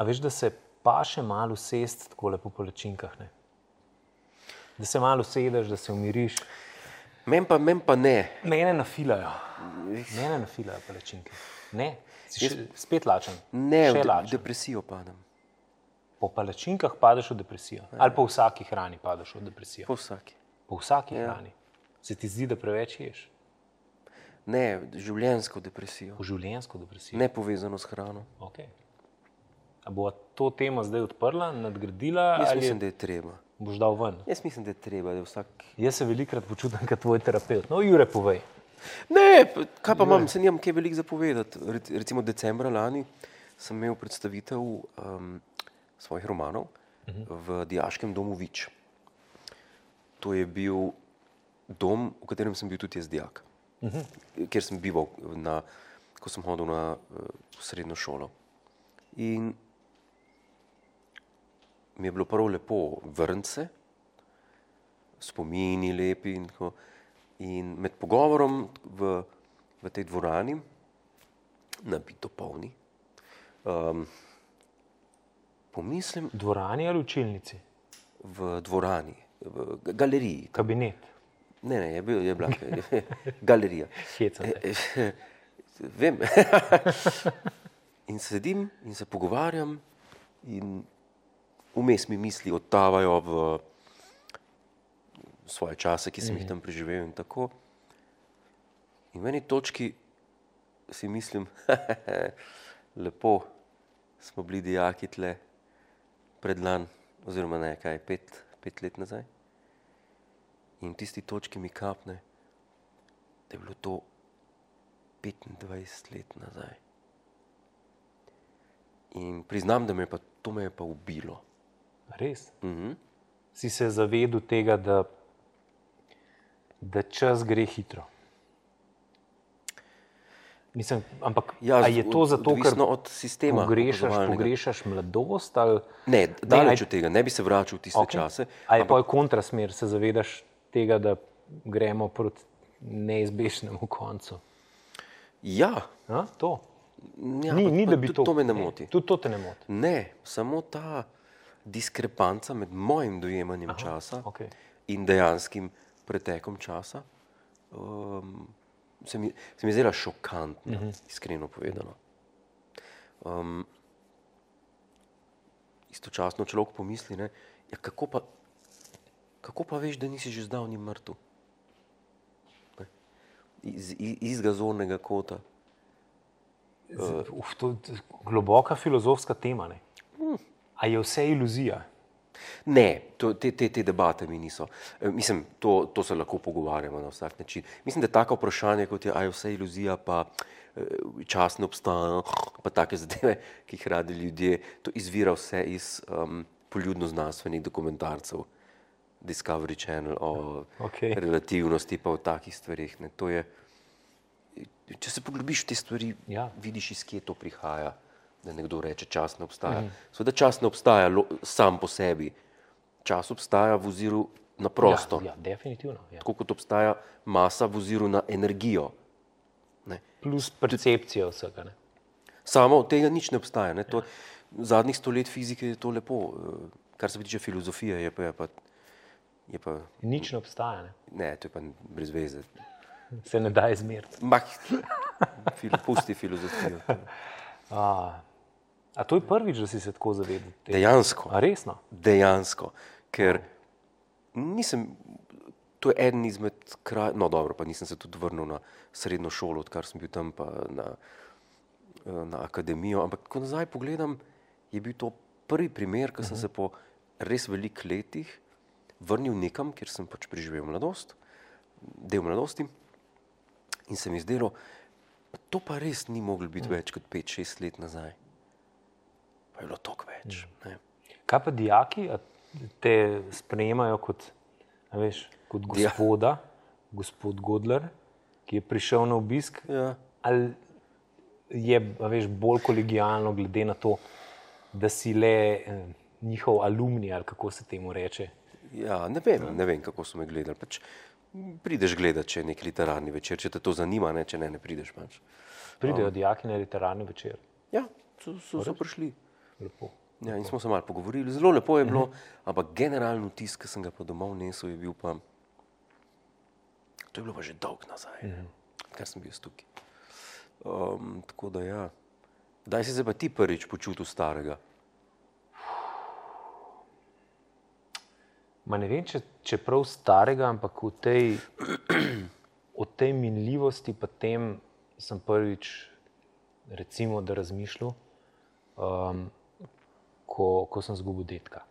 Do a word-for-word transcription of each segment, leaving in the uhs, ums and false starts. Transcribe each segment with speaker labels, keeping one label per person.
Speaker 1: A veš, da se pa še malo usest takole po palačinkah, ne? Da se malo usedeš, da se umiriš.
Speaker 2: Men pa, men pa ne.
Speaker 1: Mene nafilajo. Mene nafilajo palačinke. Ne, si še, spet lačen.
Speaker 2: Ne,
Speaker 1: še
Speaker 2: v de,
Speaker 1: lačen.
Speaker 2: depresijo padem.
Speaker 1: Po palačinkah padeš v depresijo. Ali po vsaki hrani padeš v depresijo.
Speaker 2: Po vsaki.
Speaker 1: Po vsaki ja. hrani. Se ti zdi, da preveč ješ?
Speaker 2: Ne, življenjsko depresijo.
Speaker 1: Po življenjsko depresijo?
Speaker 2: Ne povezano s hrano.
Speaker 1: Okay. A bo to temo zdaj odprla, nadgradila?
Speaker 2: Jaz
Speaker 1: ali
Speaker 2: mislim, da je treba.
Speaker 1: Boš dal ven?
Speaker 2: Jaz mislim, da je treba, da je vsak...
Speaker 1: Jaz se velikrat počutim kot tvoj terapeut. No, Jure, povej.
Speaker 2: Ne, kaj pa imam, se nimam kaj veliko zapovedati. Recimo decembra lani sem imel predstavitev um, svojih romanov uh-huh. v Dijaškem domu Vič. To je bil dom, v katerem sem bil tudi jaz dijak. Uh-huh. Kjer sem bival, na, ko sem hodil na uh, srednjo šolo. In mi je bilo prvo lepo vrniti se, spomini lepi in tako. In med pogovorom v, v tej dvorani, nabito polni, um, pomislim...
Speaker 1: Dvorani ali učilnici?
Speaker 2: V dvorani, v galeriji.
Speaker 1: Kabinet?
Speaker 2: Ne, ne, je, bil, je bila galerija.
Speaker 1: Hecam te.
Speaker 2: Vem. In sedim in se pogovarjam in vmes mi misli odtavajo v svoje čase, ki sem jih tam preživel in tako. In v eni točki si mislim, lepo smo bili dijaki tle predlan, oziroma ne, kaj, pet, pet let nazaj. In v tisti točki mi kapne, da je bilo to petindvajset let nazaj. In priznam, da me je pa, to me je pa ubilo.
Speaker 1: Res?
Speaker 2: Mhm.
Speaker 1: Si se zavedel tega, da, da čas gre hitro? Mislim, ampak
Speaker 2: Ja,
Speaker 1: a je to zato, ker
Speaker 2: odvisno od sistema
Speaker 1: pogrešaš,
Speaker 2: opazovalnega.
Speaker 1: pogrešaš mladost? Ali...
Speaker 2: Ne, daleč
Speaker 1: aj-
Speaker 2: od tega, ne bi se vračal v tiste
Speaker 1: Okej.
Speaker 2: čase.
Speaker 1: A je pa kontrasmer, se zavedaš tega, da gremo proti neizbežnemu koncu?
Speaker 2: Ja,
Speaker 1: A, to.
Speaker 2: ja
Speaker 1: Ni,
Speaker 2: pa-
Speaker 1: ni,
Speaker 2: pa
Speaker 1: da bi
Speaker 2: tudi
Speaker 1: to...
Speaker 2: to me ne
Speaker 1: ne,
Speaker 2: moti.
Speaker 1: Tudi to te ne moti.
Speaker 2: Ne, samo ta diskrepanca med mojim dojemanjem
Speaker 1: Aha,
Speaker 2: časa
Speaker 1: okej.
Speaker 2: in dejanskim pretekom časa um, se mi, se mi je zdela šokantna, uh-huh. iskreno povedano. Um, istočasno človek pomisli, ne, ja, kako pa, kako pa veš, da nisi že zdavnaj mrtev? Ne? Iz, iz, izga zornega kota.
Speaker 1: Z- Uf, to je globoka filozofska tema, ne? A je vse iluzija?
Speaker 2: Ne, to, te, te, te debate mi niso. E, mislim, to, to se lahko pogovarjamo na vsak način. Mislim, da tako vprašanje, kot je, a je vse iluzija, pa e, čas ne obstaja, pa take zadeve, ki jih radi ljudje, to izvira vse iz um, poljudno-znanstvenih dokumentarcev, Discovery Channel, o
Speaker 1: Okej.
Speaker 2: relativnosti, pa o takih stvarih. Ne. To je, če se poglobiš v te stvari,
Speaker 1: Ja.
Speaker 2: vidiš, iz kje to prihaja. Da nekdo reče, čas ne obstaja. Mm. Seveda čas ne obstaja lo, sam po sebi. Čas obstaja v oziru na prostor.
Speaker 1: Ja, ja, definitivno. Ja.
Speaker 2: Tako kot obstaja masa v oziru na energijo. Ne.
Speaker 1: Plus percepcija vsega. Ne?
Speaker 2: Samo od tega nič ne obstaja. Ne. To, zadnjih sto let fizike je to lepo. eh, Kar se tiče filozofije, je pa... Je pa, je pa
Speaker 1: Nič ne obstaja. Ne?
Speaker 2: ne, to je pa brez veze.
Speaker 1: Se ne da izmeriti.
Speaker 2: Mah, fil, pusti filozofijo.
Speaker 1: A, a to je prvič, da si se tako zavedel? tega?
Speaker 2: Dejansko.
Speaker 1: A resno?
Speaker 2: Dejansko. Ker nisem, to je eden izmed kraj, no dobro, pa nisem se tudi vrnil na srednjo šolo, odkar sem bil tam pa na, na akademijo, ampak ko nazaj pogledam, je bil to prvi primer, ko sem se po res velikih letih vrnil nekam, kjer sem pač preživel mladost, del mladosti in se mi zdelo, pa to pa res ni moglo biti več kot pet šest let nazaj. Pa je bilo toliko več. Ne.
Speaker 1: Kaj pa dijaki? A te sprejemajo kot, a veš, kot gospoda, gospod Godler, ki je prišel na obisk?
Speaker 2: Ja.
Speaker 1: Ali je, a veš, bolj kolegijalno glede na to, da si le eh, njihov alumni, ali kako se temu reče?
Speaker 2: Ja, ne vem, ne vem, kako so me gledali. Pač prideš gledati, če je nek literarni večer, če te to zanima, ne, če ne, ne prideš pač.
Speaker 1: Pridejo dijaki na literarni večer.
Speaker 2: Ja, so, so, so prišli.
Speaker 1: lepo.
Speaker 2: Ja, in smo se malo pogovorili, zelo lepo je bilo, ampak generalno tisk, ki sem ga pa domov nesel, je bil pa, to je bilo pa že dolg nazaj, kar sem bil tukaj. Um, tako da ja, kdaj si se pa ti prvič počutil starega?
Speaker 1: Ma ne vem, če, če prav starega, ampak v tej, o tej minljivosti pa tem sem prvič, recimo, da razmišljal, um, ko, ko sem zgubil dedka.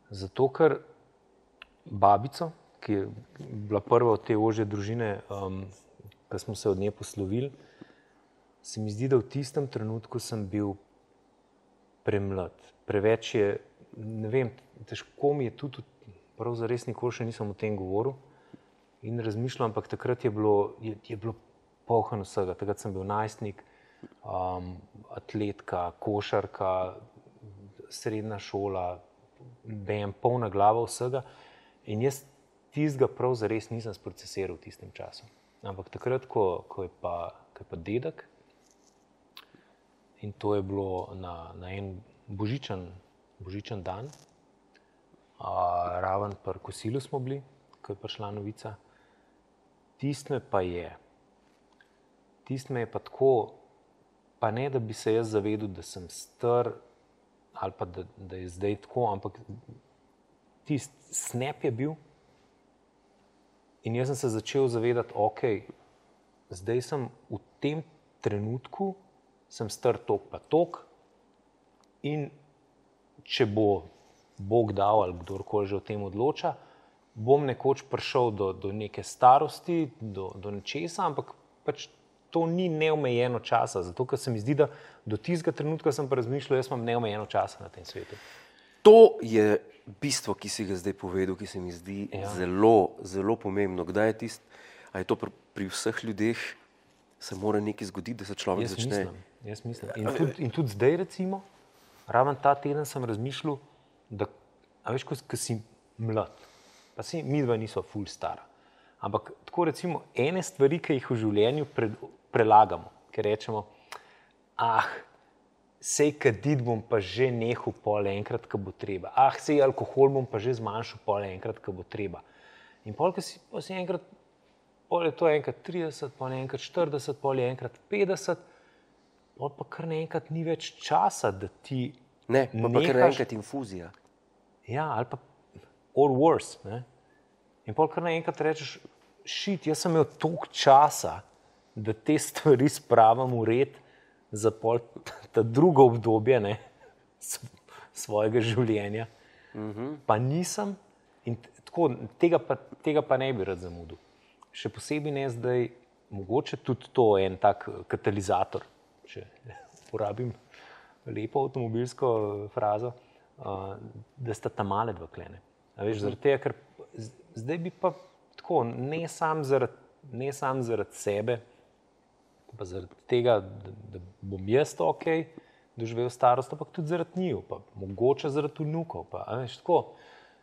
Speaker 1: Zato, ker babico, ki je bila prva od te ožje družine, um, ko smo se od nje poslovili, se mi zdi, da v tistem trenutku sem bil premlad. Preveč je, ne vem, težko mi je tudi, prav zares nikoli še nisem o tem govoril in razmišljal, ampak takrat je bilo, je, je bilo polno vsega. Takrat sem bil najstnik, um, atletka, košarka, srednja šola, bem, polna glava vsega in jaz tistega prav zares nisem sprocesiral v tistem času. Ampak takrat, ko, ko, je pa, ko je pa dedek, in to je bilo na, na en božičen, božičen dan, a, raven pri kosilu smo bili, ko je prišla novica. Tist me pa je, tist me je pa tako, pa ne, da bi se jaz zavedel, da sem star, ali pa da, da je zdaj tako, ampak tist snap je bil in jaz sem se začel zavedati, ok, zdaj sem v tem trenutku, sem star tok pa tok in če bo Bog dal ali kdorkoli že o tem odloča, bom nekoč prišel do, do neke starosti, do, do nečesa, ampak pač to ni neomejeno časa, zato ker se mi zdi, da do tistega trenutka sem pa razmišljal, jaz imam neomejeno časa na tem svetu.
Speaker 2: To je bistvo, ki si ga zdaj povedal, ki se mi zdi ja. zelo, zelo pomembno. Kdaj je tist, a je to pri, pri vseh ljudeh, se mora nekaj zgoditi, da se človek
Speaker 1: jaz
Speaker 2: začne...
Speaker 1: Mislim, jaz mislim. In tudi, in tudi zdaj, recimo, raven ta teden sem razmišljal, da, a veš, ko, ko si mlad, pa si midva niso ful stara, ampak tako recimo ene stvari, ki jih v življenju pre, prelagamo, ker rečemo, ah, sej kadit bom pa že nehal pol enkrat, ko bo treba. Ah, sej alkohol bom pa že zmanjšal pol enkrat, ko bo treba. In pol, ko si, pol si enkrat, pol je to enkrat trideset, pol je enkrat štirideset, pol je enkrat petdeset, pol pa kar naenkrat ni več časa, da ti
Speaker 2: Ne, pa,
Speaker 1: nehaš...
Speaker 2: pa kar naenkrat infuzija.
Speaker 1: Ja, ali pa or worse. Ne? In pol kar naenkrat rečeš, shit, jaz sem imel toliko časa, da te stvari spravim v red za pol ta drugo obdobje, ne, svojega življenja. Mm-hmm. Pa nisem in tako, tega pa, tega pa ne bi rad zamudil. Še posebej ne zdaj, mogoče tudi to en tak katalizator, če uporabim lepo avtomobilsko frazo, da sta ta male dva klene. A veš, zaradi tega, ker zdaj bi pa tako, ne sam zaradi, ne sam zaradi sebe, pa zaradi tega, da, da bom jaz to ok doživel starost, ampak tudi zaradi njiju, pa mogoče zaradi vnukov, pa a veš, tako,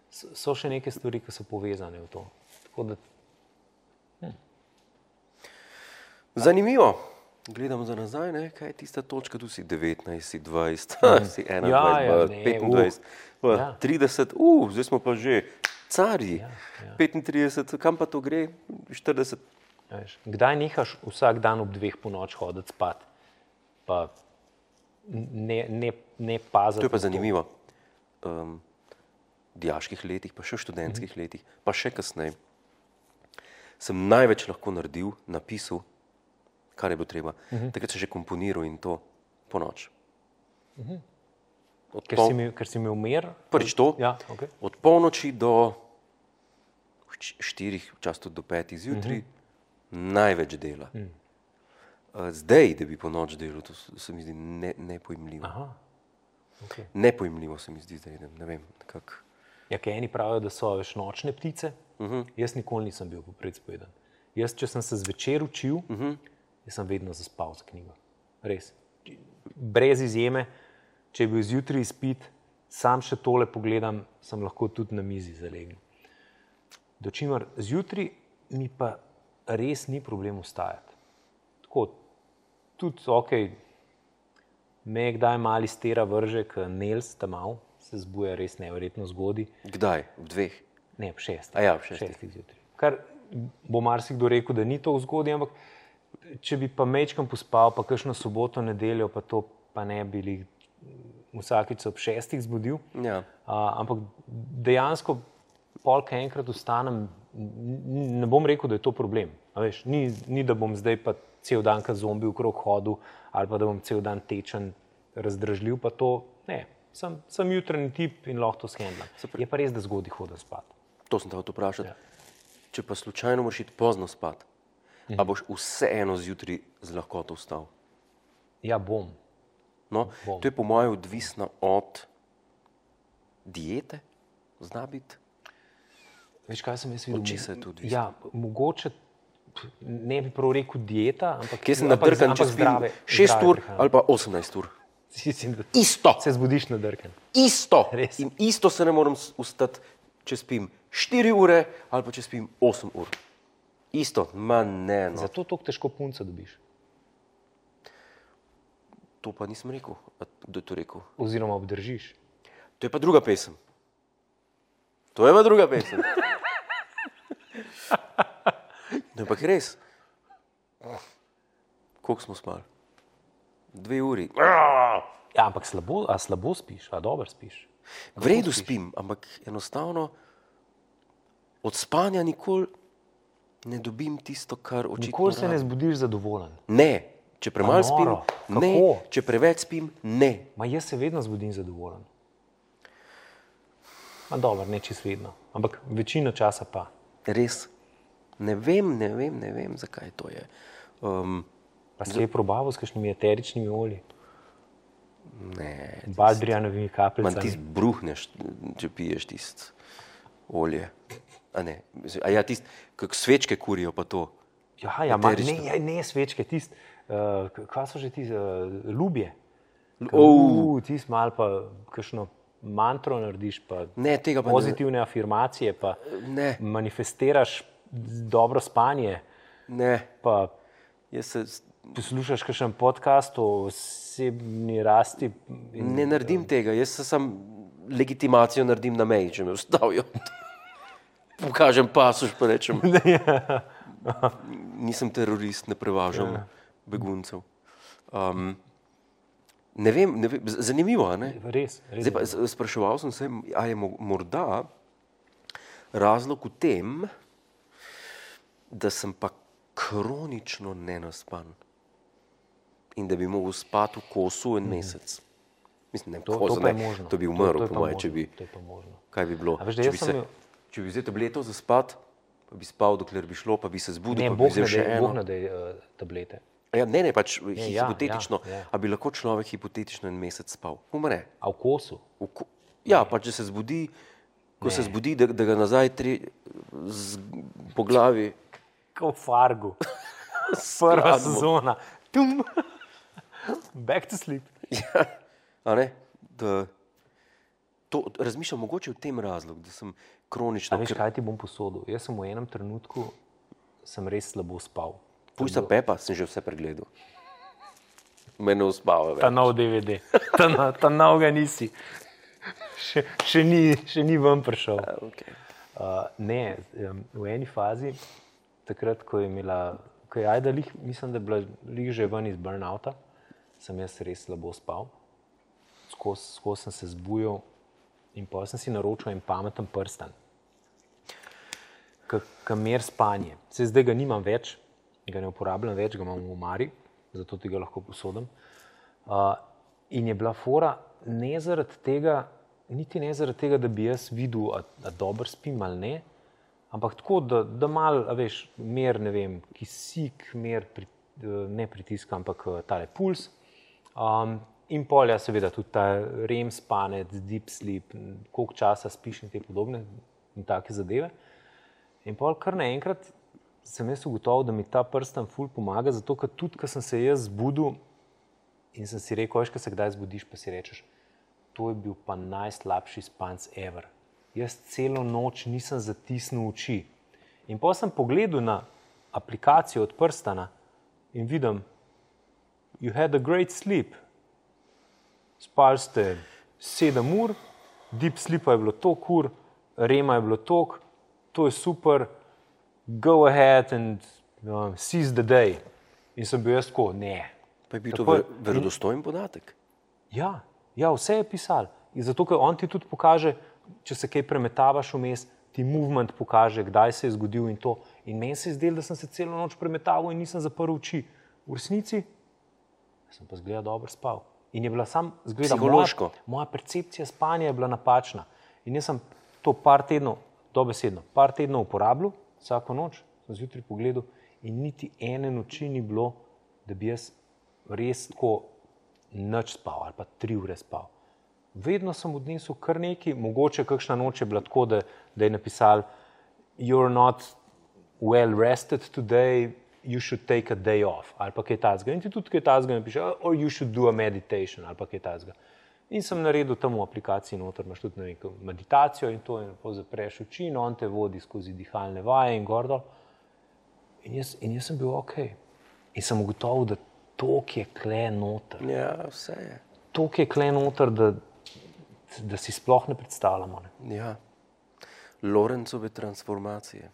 Speaker 1: so še neke stvari, ki so povezane v to. Tako da... Hm.
Speaker 2: Zanimivo. Gledamo za nazaj, ne? Kaj je tista točka, tu si devetnajst, si dvajset, si enaindvajset,
Speaker 1: ja, ja, ne,
Speaker 2: petindvajset, uh,
Speaker 1: ja.
Speaker 2: trideset, uh, zdaj smo pa že carji,
Speaker 1: Ja, ja.
Speaker 2: petintrideset, kam pa to gre, štirideset.
Speaker 1: Veš, kdaj nehaš vsak dan ob dveh po noč hoditi spat, pa ne, ne, ne paziti.
Speaker 2: To je pa zanimivo. Um, v dijaških letih, pa še v študentskih mm-hmm. letih, pa še kasneje, sem največ lahko naredil, napisal, kar je bilo treba. Mm-hmm. Takrat sem že komponiral in to po noč.
Speaker 1: Mm-hmm.
Speaker 2: Ker,
Speaker 1: pol... si mi, ker si mi umir?
Speaker 2: Prvič to,
Speaker 1: ja, okay.
Speaker 2: Od polnoči do štirih, včasih tudi do petih zjutraj, mm-hmm. največ dela. Mm. Zdaj, da bi po noč delal, to se mi zdi ne, nepojmljivo.
Speaker 1: Aha. Okay.
Speaker 2: Nepojmljivo se mi zdi zdaj, ne, ne vem, nekako.
Speaker 1: Ja, kaj eni pravijo, da so veš nočne ptice, uh-huh. jaz nikoli nisem bil popredspoden. Jaz, če sem se zvečer učil, uh-huh. jaz sem vedno zaspal za knjigo. Res. Brez izjeme, če je bil zjutraj izpit, sam še tole pogledam, sem lahko tudi na mizi zalegel. Dočimer zjutraj mi pa res ni problem vstajati. Tako, tudi, ok, me kdaj mali stera vrže, k Nels tam mal, se zbuja res neverjetno zgodaj.
Speaker 2: Kdaj? V dveh?
Speaker 1: Ne, v šestih.
Speaker 2: A ja, v šestih.
Speaker 1: šestih zjutraj. Kar bo marsikdo rekel, da ni to zgodaj, ampak če bi pa mečkam pospal, pa kakšno soboto, nedeljo, pa to pa ne bili vsakič ob šestih zbudil.
Speaker 2: Ja.
Speaker 1: Uh, ampak dejansko polka enkrat vstanem, ne bom rekel, da je to problem. A veš, ni, ni, da bom zdaj pa cel dan kot zombi okrog hodil ali pa da bom cel dan tečen, razdražljiv, pa to ne. Sem, sem jutranji tip in lahko to shendlam. Je pa res, da zgodaj hodim spat.
Speaker 2: To sem te hotel vprašati.
Speaker 1: Ja.
Speaker 2: Če pa slučajno moraš iti pozno spat, mhm. a boš vseeno zjutraj z lahkoto vstal?
Speaker 1: Ja, bom.
Speaker 2: No,
Speaker 1: bom.
Speaker 2: To je po mojem odvisno od diete, zna biti.
Speaker 1: Veš, kaj sem jaz videl?
Speaker 2: Od česa je to odvisno?
Speaker 1: Ja, mogoče ne bi prav rekel dieta, ampak
Speaker 2: kje sem nadrkan, če spim šest ur ali pa osemnajst ur? Isto!
Speaker 1: Se zbudiš nadrkan.
Speaker 2: Isto!
Speaker 1: Res.
Speaker 2: In isto se ne moram ustati, če spim štiri ure ali pa če spim osem ur. Isto, ma ne, no.
Speaker 1: Zato toliko težko punca dobiš.
Speaker 2: To pa nisem rekel. Kdo je to rekel?
Speaker 1: Oziroma obdržiš.
Speaker 2: To je pa druga pesem. To je pa druga pesem. No, ampak res. Koliko smo spali? Dve uri.
Speaker 1: Ja, ampak slabo, a slabo spiš, a dobro spiš?
Speaker 2: V redu spim, ampak enostavno od spanja nikoli ne dobim tisto, kar očitno
Speaker 1: Nikoli se ne
Speaker 2: rabim.
Speaker 1: zbudiš zadovoljen.
Speaker 2: Ne. Če premalo
Speaker 1: A
Speaker 2: spim,
Speaker 1: noro.
Speaker 2: ne.
Speaker 1: Kako?
Speaker 2: Če preveč spim, ne.
Speaker 1: Ma jaz se vedno zbudim zadovoljen. Ma dobro, ne čist vedno, ampak večino časa pa.
Speaker 2: Res. Ne vem, ne vem, ne vem, zakaj to je. Um,
Speaker 1: Pa si je probaval s kakšnimi eteričnimi olji?
Speaker 2: ne.
Speaker 1: Baldrijanovimi
Speaker 2: Man
Speaker 1: kapljicami?
Speaker 2: ti bruhneš, če piješ tisto olje. A ne, a ja, tisto, kak svečke kurijo pa to.
Speaker 1: Ja, ja, ma,
Speaker 2: Eterično.
Speaker 1: ne, ne svečke, tist, uh, kva so že ti, uh, ljubje.
Speaker 2: Oh.
Speaker 1: Uh, tist mal pa kakšno mantro narediš, pa
Speaker 2: Ne, tega pa
Speaker 1: pozitivne afirmacije, pa
Speaker 2: ne.
Speaker 1: manifestiraš dobro spanje,
Speaker 2: Ne,
Speaker 1: pa
Speaker 2: jaz se
Speaker 1: poslušaš kakšen podcast o osebni rasti. In,
Speaker 2: ne naredim tega, jaz se sam legitimacijo naredim na meji, če me ustavijo. Pokažem pasuš, pa rečem, nisem terorist, ne prevažam beguncev. Um, ne vem, ne vem, zanimivo, a ne?
Speaker 1: Res, res.
Speaker 2: Zdaj pa z- spraševal sem se, a je mo- morda razlog v tem, da sem pa kronično nenaspan in da bi mogel spati v kosu en mesec. Mislim, ne,
Speaker 1: To, to
Speaker 2: koza,
Speaker 1: pa je
Speaker 2: ne,
Speaker 1: možno.
Speaker 2: to bi
Speaker 1: To-
Speaker 2: umrl,
Speaker 1: to je
Speaker 2: po
Speaker 1: pa
Speaker 2: moje, če
Speaker 1: možno,
Speaker 2: bi,
Speaker 1: to je pa možno.
Speaker 2: kaj bi bilo,
Speaker 1: A veš, da
Speaker 2: če
Speaker 1: jaz
Speaker 2: bi,
Speaker 1: sem
Speaker 2: se,
Speaker 1: imel-
Speaker 2: če bi vzel tableto za spat, pa bi spal, dokler bi šlo, pa bi se zbudil,
Speaker 1: Ne,
Speaker 2: pa bi
Speaker 1: Bog
Speaker 2: vzel
Speaker 1: ne
Speaker 2: še
Speaker 1: dej,
Speaker 2: eno.
Speaker 1: Bog ne dej uh, tablete.
Speaker 2: Ja, ne, ne, pač
Speaker 1: Ne, ja,
Speaker 2: hipotetično,
Speaker 1: ja, ja.
Speaker 2: a bi lahko človek hipotetično en mesec spal. Umre.
Speaker 1: A v kosu?
Speaker 2: V ko- Ja, pa če se zbudi, ko se zbudi, da, da ga nazaj tri, z, po glavi.
Speaker 1: Kot v Fargu. Prva sezona. Tum. Back to sleep.
Speaker 2: Ja, a ne, da, to, razmišljam mogoče v tem razlog, da sem kronično.
Speaker 1: A veš, kaj ti bom posodil? Jaz sem v enem trenutku sem res slabo spal.
Speaker 2: Pujsa Pepa sem že vse pregledal. Mene uspava
Speaker 1: Ta
Speaker 2: več.
Speaker 1: nov D V D. Ta, no- ta nov ga nisi. Še, še, ni, še ni ven prišel.
Speaker 2: Ja, okay.
Speaker 1: Uh, ne, em, v eni fazi, takrat, ko je imela, ko je Ajda, lih, mislim, da je bila lih že ven iz burnouta, sem jaz res slabo spal. Skozi skos sem se zbujal in pa sem si naročil en pameten prstan, ki mer spanje. Se zdaj ga nimam več, ga ne uporabljam več, ga imam v omari, zato ti ga lahko posodim. Uh, in je bila fora ne zaradi tega, niti ne zaradi tega, da bi jaz videl, a, a dobro spim ali ne, ampak tako, da, da mal, a veš, mer, ne vem, kisik, mer, pri, ne pritisk, ampak tale puls. Um, in polja seveda tudi ta rem spanec, deep sleep, koliko časa spiš in te podobne in take zadeve. In pol kar naenkrat sem jaz ugotovil, da mi ta prstan ful pomaga, zato ker tudi, ko sem se jaz zbudil in sem si rekel, veš, ko se kdaj zbudiš, pa si rečeš, to je bil pa najslabši spanc ever. Jaz celo noč nisem zatisnil oči. In potem sem pogledal na aplikacijo od prstana in vidim, you had a great sleep. spali ste sedem ur, deep sleepa je bilo toliko ur, rema je bilo toliko, to je super, go ahead and uh, seize the day. In sem bil jaz tako, ne.
Speaker 2: Pa je bil to verodostojen podatek?
Speaker 1: Ja, ja, vse je pisal. In zato, ker on ti tudi pokaže, če se kaj premetavaš vmes, ti movement pokaže, kdaj se je zgodil in to. In meni se je zdelo, da sem se celo noč premetaval in nisem zaprl oči. V resnici sem pa zgleda dobro spal. In je bila sam, zgleda,
Speaker 2: psihološko.
Speaker 1: Moja, moja percepcija spanja je bila napačna. In jaz sem to par tednov, dobesedno, par tednov uporabljal, vsako noč, sem zjutraj pogledal in niti ene noči ni bilo, da bi jaz res tako nič spal ali pa tri ure spal. Vedno sem odnesel kar nekaj, mogoče kakšna noč je bila tako, da, da je napisal you're not well rested today, you should take a day off, ali pa kaj tazga. In ti tudi kaj tazga napiše, or you should do a meditation, ali pa kaj tazga. In sem naredil tam v aplikaciji noter, imaš tudi neko meditacijo in to, in zapreš oči in on te vodi skozi dihalne vaje in gor dol. In jaz, in jaz sem bil ok. In sem ugotovil, da tok je kle noter.
Speaker 2: Ja, vse je.
Speaker 1: Tok je kle noter, da, da si sploh ne predstavljamo. Ne?
Speaker 2: Ja. Lorencove transformacije.